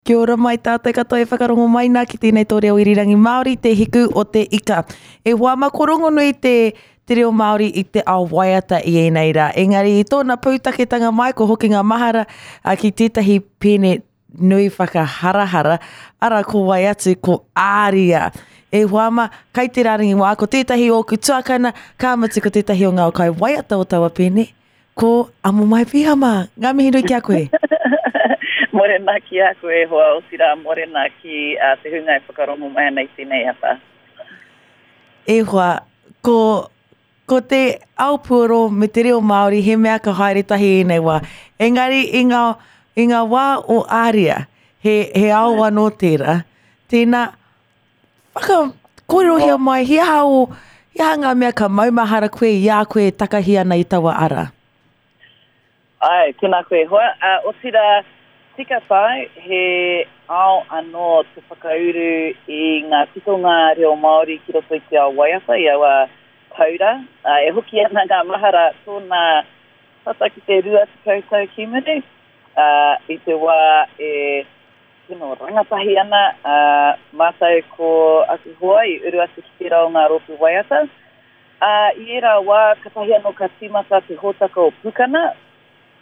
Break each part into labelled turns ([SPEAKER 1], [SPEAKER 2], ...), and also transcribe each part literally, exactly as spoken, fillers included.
[SPEAKER 1] Kia ora mai tātou katoa e whakarongo mai nā ki tēnei tō reo irirangi Māori, Te Hiku o te Ika. E hoa ma ko rongonui te, te reo Māori i te ao waiata i ēnei rā. Engari i tōna pūtaketanga mai ko hoki ngā mahara a, ki tētahi pēne nui whakaharahara, ara ko wai atu ko Āria. E hoa ma, kai te rārangi wā, ko tētahi ōku tuakana, ka mutu ko tētahi o ngā kai waiata o taua pēne, ko Amomai Pihama. Ngā mihi nui ki a koe.
[SPEAKER 2] Morena ki a koe e hoa, otirā morena ki uh, te hunga e whakarongo mai ana i tēnei ata.
[SPEAKER 1] E hoa, ko, ko te ao puoro me te reo Māori he mea ka haere tahi ēnei wā. Engari i ngā, i ngā wā o Āria, he, he ao anō tērā. Tēnā, whaka, kōrerohia mai, he aha o, he aha ngā mea ka maumahara koe i a koe e takahi ana i taua ara?
[SPEAKER 2] Ai, tēnā koe e hoa. Uh, otirā, tika tāu, he ao anō te whakauru i ngā titonga reo Māori ki roto i te ao waiata, i aua taura. Uh, e hoki ana ngā mahara tōna tata ki te rua tekau tau ki muri, uh, i te wā e tino rangatahi ana, uh, mātou ko aku hoa i uru atu ki tērā o ngā rōpū waiata. Uh, i ērā wā, katahi anō ka tīmata te hōtaka o Pukana,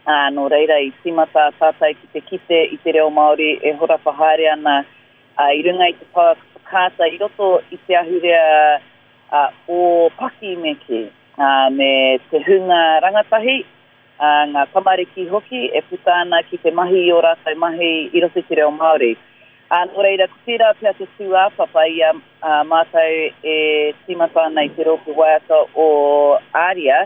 [SPEAKER 2] Uh, nō reira i tīmata tātou ki te kite i te reo Māori e horapa haere ana uh, i runga i te pouaka whakaata i roto i te ahurea uh, o paki me ki, uh, me te hunga rangatahi, uh, ngā tamariki hoki e puta ana ki te mahi i o rātou mahi i roto i te reo Māori. Uh, nō reira, ko tērā pea te tūāpapa i a uh, mātou e tīmata ana i te rōpū waiata o Āria,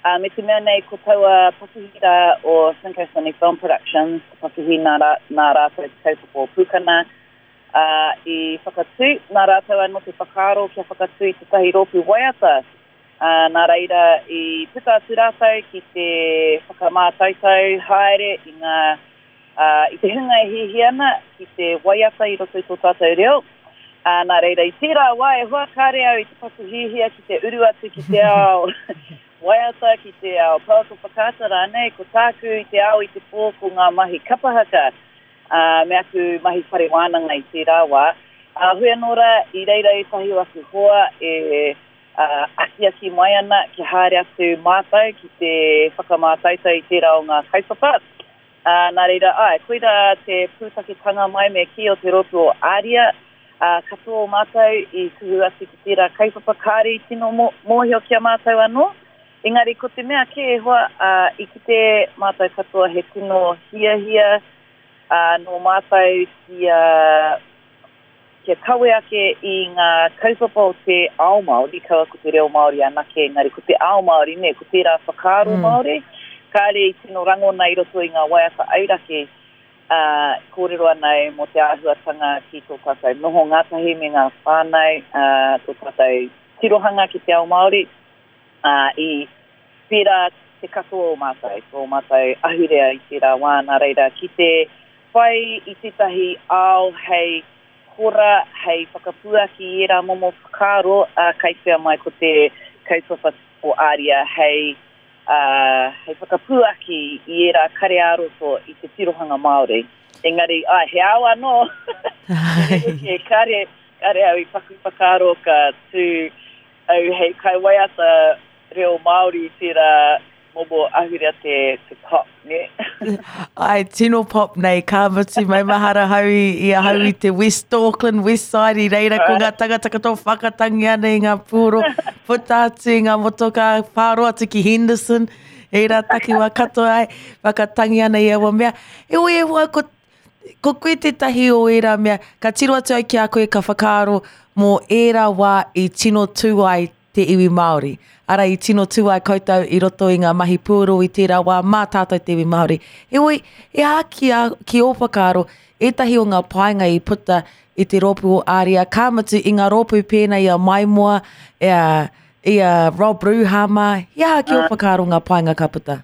[SPEAKER 2] Uh, me te mea nei ko taua pakihi rā o Cinco Cine Film Productions, te pakihi nā, rā, nā rātou te kaupapa o Pukana, uh, i whakatū, nā rātou anō te whakaaro kia whakatū i tētahi rōpū waiata. Uh, nā reira i puta atu rātou ki te whakamātautau haere i ngā, uh, i te hunga e hiahia ana ki te waiata i roto i tō tātou reo. Uh, nā reira i tērā wā e hoa kāre au i te paku hiahia ki te uru atu ki te ao waiata, ki te ao pouaka whakaata rānei, ko tāku i te ao i te pō ko ngā mahi kapahaka, uh, me aku mahi whare wānanga i tērā wā. Uh, hui anō rā, i reira ētahi o aku hoa e uh, akiaki mai ana kia haere atu mātou ki te whakamātautau i tērā o ngā kaupapa. Uh, nā reira, ai, koira te pūtaketanga mai me kī o te rōpū o Āria, uh, katoa o mātou i kuhu atu ki tērā kaupapa kāre i tino mōhio ki a mātou anō. Engari ko te mea kē e hoa, uh, i kite mātou katoa he tino hiahia uh, nō mātou kia, kia kawe ake i ngā kaupapa o te ao Māori, kaua ko te reo Māori anake, engari ko te ao Māori, ne, ko tērā whakaaro mm. Māori, kāre i tino rangona i roto i ngā waiata auraki, uh, kōrero ana e mō te āhuatanga ki tō tātou noho ngātahi me ngā whānau, uh, tō tātou tirohanga ki te ao Māori, uh, i pērā te katoa o mātou, tō mātou ahurea i tērā wā, nā reira ki te whai i tētahi ao hei hora, hei whakapuaki i ērā momo whakaaro, uh, kai whea mai ko te kaupapa o Āria hei, uh, hei whakapuaki i ērā kare ā-roto i te tirohanga Māori. Engari, ai, he ao anō, kare, kare au i paku whakaaro ka tū au hei kaiwaiata reo Māori tērā momo ahurea te, te pop, ne?
[SPEAKER 1] Ai, tino pop nei, ka mutu maumahara hau i, i ahau i te West Auckland, West Side, i reira ko ngā tangata katoa whakatangi ana i ngā pūro, puta atu i ngā motoka, whāro atu ki Henderson, ērā takiwā katoa ai, whakatangi ana i aua mea. Heoi e hoa, ko, ko koe tētahi o ērā mea, ka tiro atu au ki a koe ka whakaaro mō ērā wā i tino tū ai te iwi Māori. Ara i tino tū ai koutou i roto i ngā mahi pūro i tērā wā mā tātou te iwi Māori. Heoi, e aha ki, a, ki ō whakaaro, ētahi o ngā painga i puta i te rōpū o Āria, ka mutu i ngā rōpū pēnei i a Maimoa, i a, i a Rob Ruhama, he aha ki ō whakaaro ngā painga ka puta?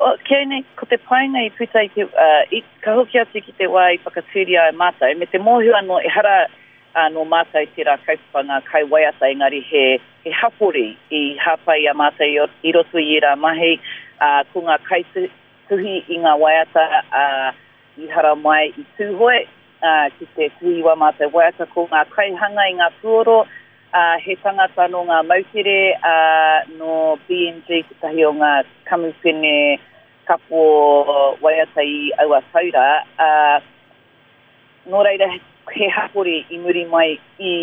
[SPEAKER 2] O, kia nei, ko te painga i puta i te, uh, i, ka hoki atu ki te wā i whakatūria ai mātou, me te mōhio anō, ehara uh, nō mātou tērā kaupapa ngā kaiwaiata, engari he, he hapori i hāpai i a mātou i, i roto i ērā mahi, uh, ko ngā kaituhi i ngā waiata, uh, i hara mai i Tūhoe, uh, ki te tuhi i wā mātou waiata ko ngā kaihanga i ngā puoro, uh, he tangata nō ngā moutere, uh, nō B M G tētahi o ngā kamupene kapo waiata i aua taura. Uh, nō reira he hapori i muri mai i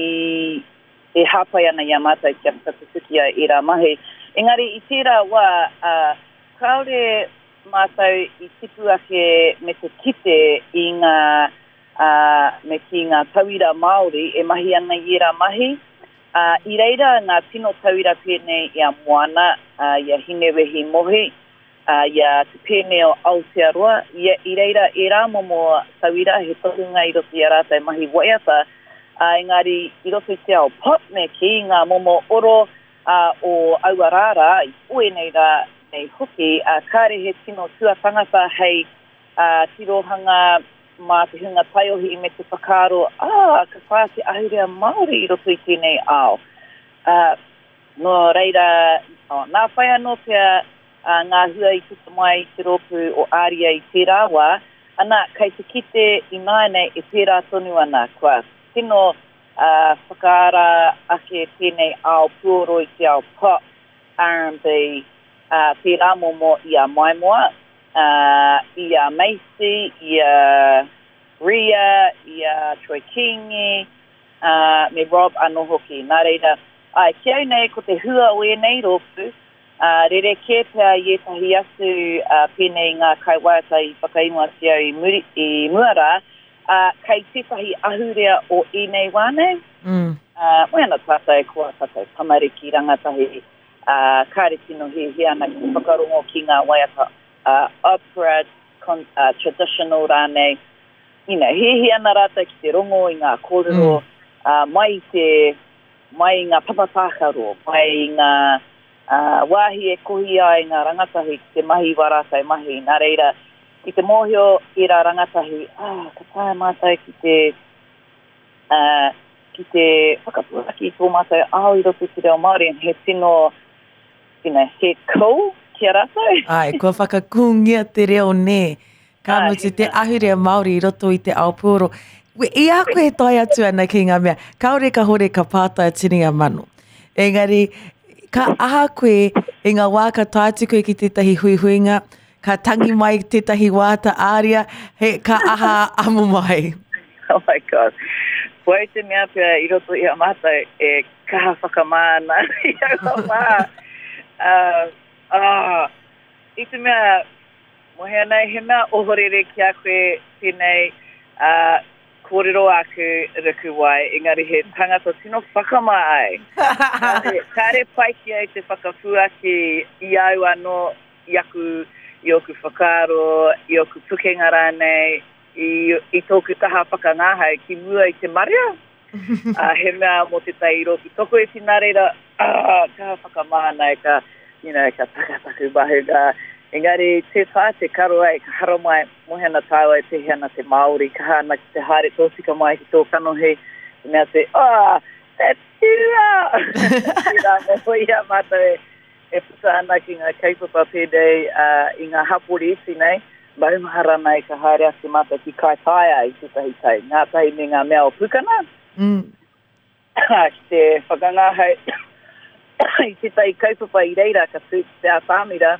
[SPEAKER 2] e hāpai ana i a mātou kia whakatutuki ai ērā mahi. Engari i tērā wā, uh, kāore mātou i tipu ake me te kite i ngā, uh, me ki ngā tauira Māori e mahi ana i ērā mahi. Uh, I reira ngā tino tauira pēnei i a Moana, uh, i a Hinewehi Mohi, uh, i a Te Pēne o Aotearoa. I, i reira ērā momo tauira he tohunga i roto i a rātou mahi waiata, uh, engari i roto i te ao pop me ki ngā momo oro uh, o aua rārā, i o ēnei rā nei hoki, uh, kāre he tino tuatangata hei uh, tirohanga mā te hunga taiohi me te whakaaro, ah, ka whā te ahurea Māori i roto i tēnei ao. Uh, nō reira, oh, nā whai anō pea uh, ngā hua i puta mai i te rōpū o Aria i tērā wā, ana, kei te kite i nāianei e pērā tonu ana, kua tino uh, whakaara ake tēnei ao puoro i te ao pop, R and B, uh, tērā momo i a Maimoa, uh, i a Macy, i a Ria, i a Troy Kingi, uh, me Rob anō hoki. Nā reira, ai, ki au nei ko te hua o ēnei rōpū, uh, rere kē pea i ētahi atu uh, pēnei ngā kaiwaiata i whakaingoatia i, muri, i mua rā, uh, kei tētahi ahurea o ēnei wā nei.
[SPEAKER 1] Mm.
[SPEAKER 2] Uh, moe ana tātou, ko a tātou tamariki rangatahi, uh, kāre tino hiahia ana ki te whakarongo ki ngā waiata uh, opera, con, uh, traditional rānei. You know, hiahia ana rātou ki te rongo i ngā kōrero,
[SPEAKER 1] mm.
[SPEAKER 2] uh, mai i te, mai i ngā papatākaro, mai i ngā uh, wāhi e kohi ai ngā rangatahi ki te mahi wā rātou mahi. Nā reira, ki te mōhio i rā rangatahi, ah, ka taea mātou ki te, uh, ki te whakapuaki i tō mātou ao i roto i te reo Māori, he tino, you know, he cool ki a rātou.
[SPEAKER 1] Ai, kua whakakūngia te reo nē. Ka
[SPEAKER 2] Ai,
[SPEAKER 1] mutu te ahurea Māori i roto i te ao puoro. I a koe e tae atu ana ki ngā mea, kāore ka hore ka pātai tini a mano. Engari, ka aha koe i ngā wā ka tae atu koe ki tētahi huihuinga, ka tangi mai tētahi wāta āria, he, ka aha amo mai.
[SPEAKER 2] Oh my God. Koe te mea pea i roto i a mātou e kaha whakamā ana i aua wā. Uh, ah, i te mea, mohe nei, he mea ohorere ki a koe tēnei uh, kōrero aku ruku wai, engari he tangata tino whakamā ai. Kāre, kāre pai ki au te whakapuaki i au anō, i aku, i oku whakaaro, i oku pukenga rānei, i, i tōku taha whakangahau ki mua i te marea. Uh, he mea mō te tai i rōpū tokoiti nā reira, ah, ka whakamā nei, ka, you know, ka takataku mahunga. Engari, te tā te karo ai, ka hara mai, mohe ana tāua e pēhea ana te Māori, ka hana ki te haere tōtika mai ki tō kanohi, te mea te, ah, te tira! Tērā mō ia mātou e, e puta ana ki ngā kaupapa pēnei uh, i ngā hapori iti nei, maumahara nei ka haere atu mātou ki Kaitaia i tētahi tau, ngā tahi me ngā mea o Pukana.
[SPEAKER 1] Mm.
[SPEAKER 2] Ki te whakangahau i tētahi kaupapa i reira ka tū ki te atamira,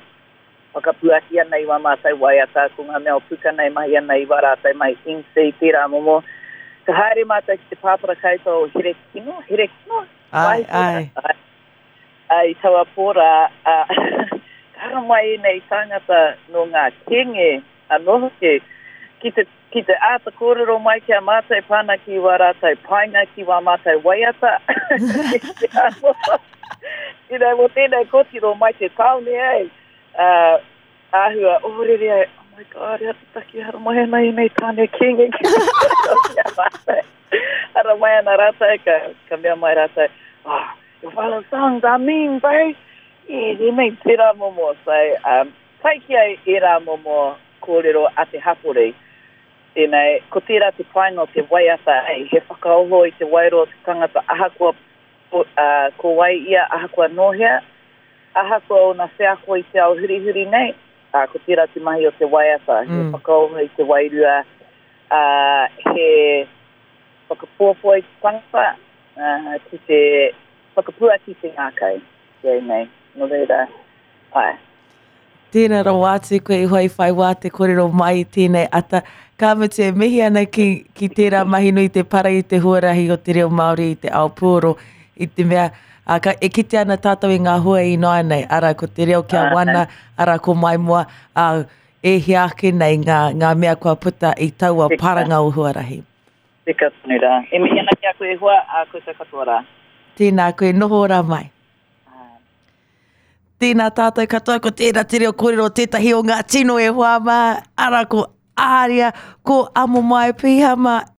[SPEAKER 2] whakapuaki ana i wā mātou waiata, ko ngā mea o Pukana e mahi ana i wā rātou mai M C, tērā momo. Ka haere mātou ki te pāpara kaupapa o Herekino, Herekino?
[SPEAKER 1] Ai, ai.
[SPEAKER 2] Ai. Ai, taua pōrā, uh, ka hara mai ēnei tāngata nō ngā kenge anō hoki, ki te, ki te āta kōrero mai ki a mātou pāna ki wā rātou painga, ki wā mātou waiata. You know, mō tēnei kōtiro mai te tāone ai. Uh, āhua, ohorere ai, oh my God, ea te taki hara mai ana i nei tāne kenge ki te mātou. Hara mai ana rātou, ka, ka mea mai rātou, oh, your father's songs are mean, bro. Yeah, they mean tērā momo. So, um, pai ki au ērā momo kōrero a te hapori. You know, ko tērā te painga o te waiata, ei, he whakaoho i te wairua o te tangata ahakoa, uh, ko wai ia, ahakoa nōhea, ahakoa ona wheako i te ao hurihuri nei, uh, ko tērā te mahi o te waiata, he
[SPEAKER 1] Mm.
[SPEAKER 2] whakaoho i te wairua, uh, he whakapoapoi te tangata, uh, ki te whakapuaki te ngākau, ki nei. Nō reira, ai.
[SPEAKER 1] Tēnā rawa atu koe i hoa i whai wā te kōrero mai i tēnei ata. Ka mutu e mihi ana ki, ki tērā mahi nui te para i te huarahi o te reo Māori i te ao puoro i te mea a, ka, e kite ana tātou i ngā hua ināianei, ara ko te reo kia wana, ara ko maimoa, a, e hia ake nei ngā, ngā mea kua puta i taua
[SPEAKER 2] Tika.
[SPEAKER 1] paranga o huarahi.
[SPEAKER 2] Tika tonu rā. E mihi ana ki a koe e hoa, a koutou katoa rā.
[SPEAKER 1] Tēnā koe, noho ora mai.
[SPEAKER 2] Ā.
[SPEAKER 1] Tēnā tātou katoa, ko tēnā te reo kōrero tētahi o ngā tino e hoa mā, ara ko Āria, ko Amomae Pihama.